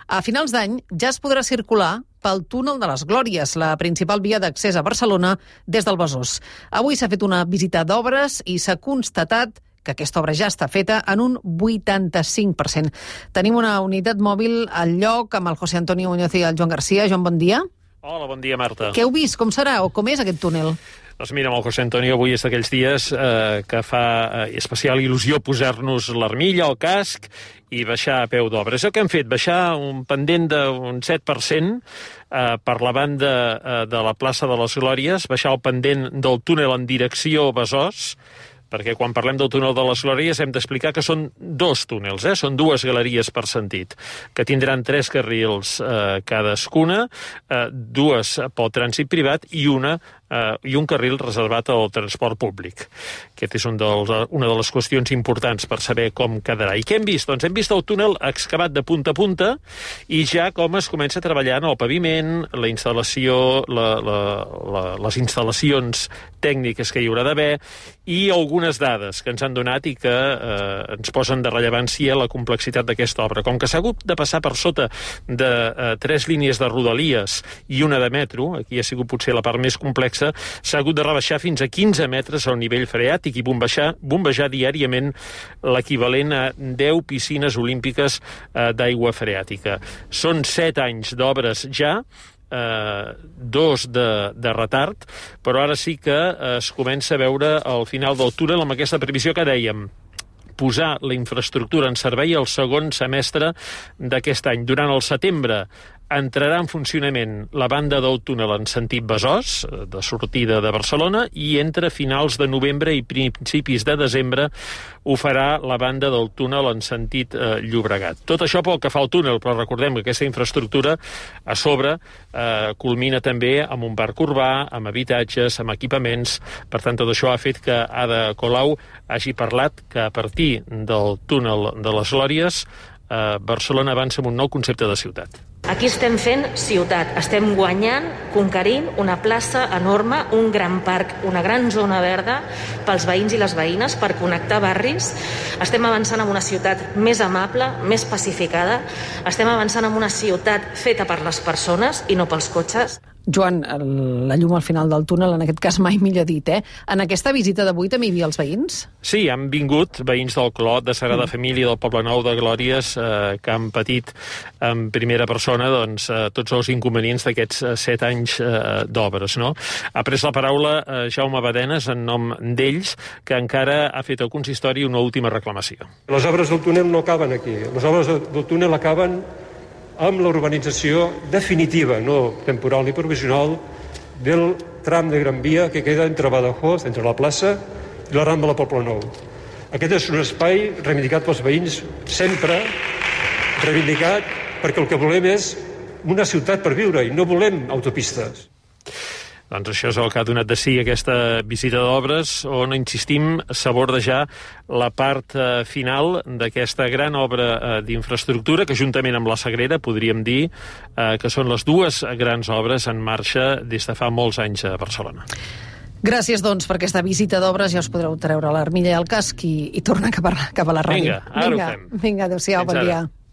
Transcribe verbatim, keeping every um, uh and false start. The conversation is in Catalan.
A finals d'any ja es podrà circular pel túnel de les Glòries, la principal via d'accés a Barcelona des del Besòs. Avui s'ha fet una visita d'obres i s'ha constatat que aquesta obra ja està feta en un vuitanta-cinc per cent. Tenim una unitat mòbil al lloc amb el José Antonio Muñoz i el Joan Garcia. Joan, bon dia. Hola, bon dia, Marta. Què heu vist? Com serà o com és aquest túnel? Doncs mira, amb el José Antonio avui és d'aquells dies eh, que fa eh, especial il·lusió posar-nos l'armilla, el casc i baixar a peu d'obra. És el que hem fet, baixar un pendent d'un set per cent eh, per la banda eh, de la plaça de les Glòries, baixar el pendent del túnel en direcció Besòs, perquè quan parlem del túnel de les Glòries hem d'explicar que són dos túnels, eh? Són dues galeries per sentit, que tindran tres carrils eh, cadascuna, eh, dues pel trànsit privat i una Uh, i un carril reservat al transport públic. Aquest és un dels, una de les qüestions importants per saber com quedarà. I què hem vist? Doncs hem vist el túnel excavat de punta a punta i ja com es comença a treballar en el paviment, la instal·lació, la, la, la, les instal·lacions tècniques que hi haurà d'haver i algunes dades que ens han donat i que eh, ens posen de rellevància la complexitat d'aquesta obra. Com que s'ha hagut de passar per sota de eh, tres línies de rodalies i una de metro, aquí ha sigut potser la part més complexa, s'ha hagut de rebaixar fins a quinze metres al nivell freàtic i bombejar, bombejar diàriament l'equivalent a deu piscines olímpiques eh, d'aigua freàtica. Són set anys d'obres ja, eh, dos de, de retard, però ara sí que eh, es comença a veure al final del túnel amb aquesta previsió que dèiem, posar la infraestructura en servei el segon semestre d'aquest any. Durant el setembre entrarà en funcionament la banda del túnel en sentit Besòs, de sortida de Barcelona, i entre finals de novembre i principis de desembre ho farà la banda del túnel en sentit eh, Llobregat. Tot això pel que fa al túnel, però recordem que aquesta infraestructura a sobre eh, culmina també amb un parc urbà, amb habitatges, amb equipaments. Per tant, tot això ha fet que Ada Colau hagi parlat que a partir del túnel de les Glòries eh, Barcelona avança amb un nou concepte de ciutat. Aquí estem fent ciutat, estem guanyant, conquerint una plaça enorme, un gran parc, una gran zona verda pels veïns i les veïnes per connectar barris. Estem avançant en una ciutat més amable, més pacificada. Estem avançant en una ciutat feta per les persones i no pels cotxes. Joan, la llum al final del túnel, en aquest cas mai millor dit, eh? En aquesta visita d'avui també hi havia els veïns? Sí, han vingut veïns del Clot, de Sagrada mm. Família, del Poble Nou de Glòries, eh, que han patit en primera persona doncs, eh, tots els inconvenients d'aquests eh, set anys eh, d'obres. No? Ha pres la paraula eh, Jaume Badenes en nom d'ells, que encara ha fet al consistori una última reclamació. Les obres del túnel no acaben aquí. Les obres del túnel acaben amb la urbanització definitiva, no temporal ni provisional, del tram de Gran Via que queda entre Badajoz, entre la plaça, i la Rambla del Poble Nou. Aquest és un espai reivindicat pels veïns, sempre reivindicat, perquè el que volem és una ciutat per viure i no volem autopistes. Doncs això és el que ha donat de si aquesta visita d'obres, on, insistim, s'aborda la part eh, final d'aquesta gran obra eh, d'infraestructura, que juntament amb la Sagrera podríem dir eh, que són les dues grans obres en marxa des de fa molts anys a Barcelona. Gràcies, doncs, per aquesta visita d'obres. Ja us podreu treure l'armilla i el casc i, i tornar cap a, cap a la ràdio. Vinga, ara Vinga. ho fem. Vinga, adéu-siau, bon dia.